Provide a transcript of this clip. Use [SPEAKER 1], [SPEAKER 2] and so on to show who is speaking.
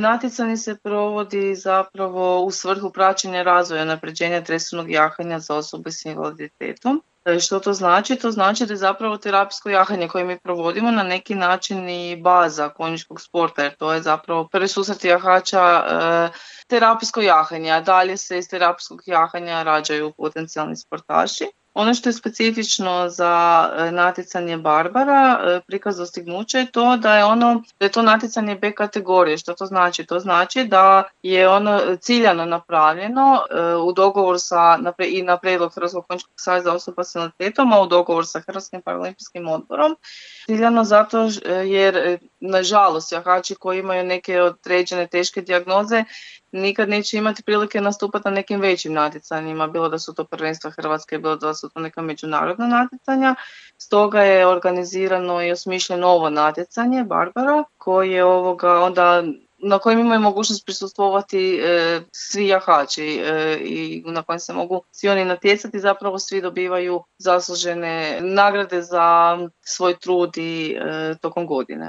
[SPEAKER 1] Natjecanje se provodi zapravo u svrhu praćenja razvoja i unapređenja tresovnog jahanja za osobe s invaliditetom. Što to znači? To znači da je zapravo terapijsko jahanje koje mi provodimo na neki način i baza konjičkog sporta, jer to je zapravo prvi susret jahača terapijsko jahanje, a dalje se iz terapijskog jahanja rađaju potencijalni sportaši. Ono što je specifično za natjecanje Barbara, prikaz dostignuća je to da je to natjecanje B kategorije. Što to znači? To znači da je ono ciljano napravljeno u dogovoru i na prijedlog Hrvatskog konjičkog saveza osoba s invaliditetom, a u dogovoru sa Hrvatskim paraolimpijskim odborom. Ciljano zato jer, nažalost, jahači koji imaju neke određene teške dijagnoze nikad neće imati prilike nastupati na nekim većim natjecanjima, bilo da su to prvenstva Hrvatske, bilo da su to neka međunarodna natjecanja. Stoga je organizirano i osmišljeno ovo natjecanje Barbara, koje onda na kojem imaju mogućnost prisustvovati svi jahači i na kojem se mogu svi oni natjecati, zapravo svi dobivaju zaslužene nagrade za svoj trud i tokom godine.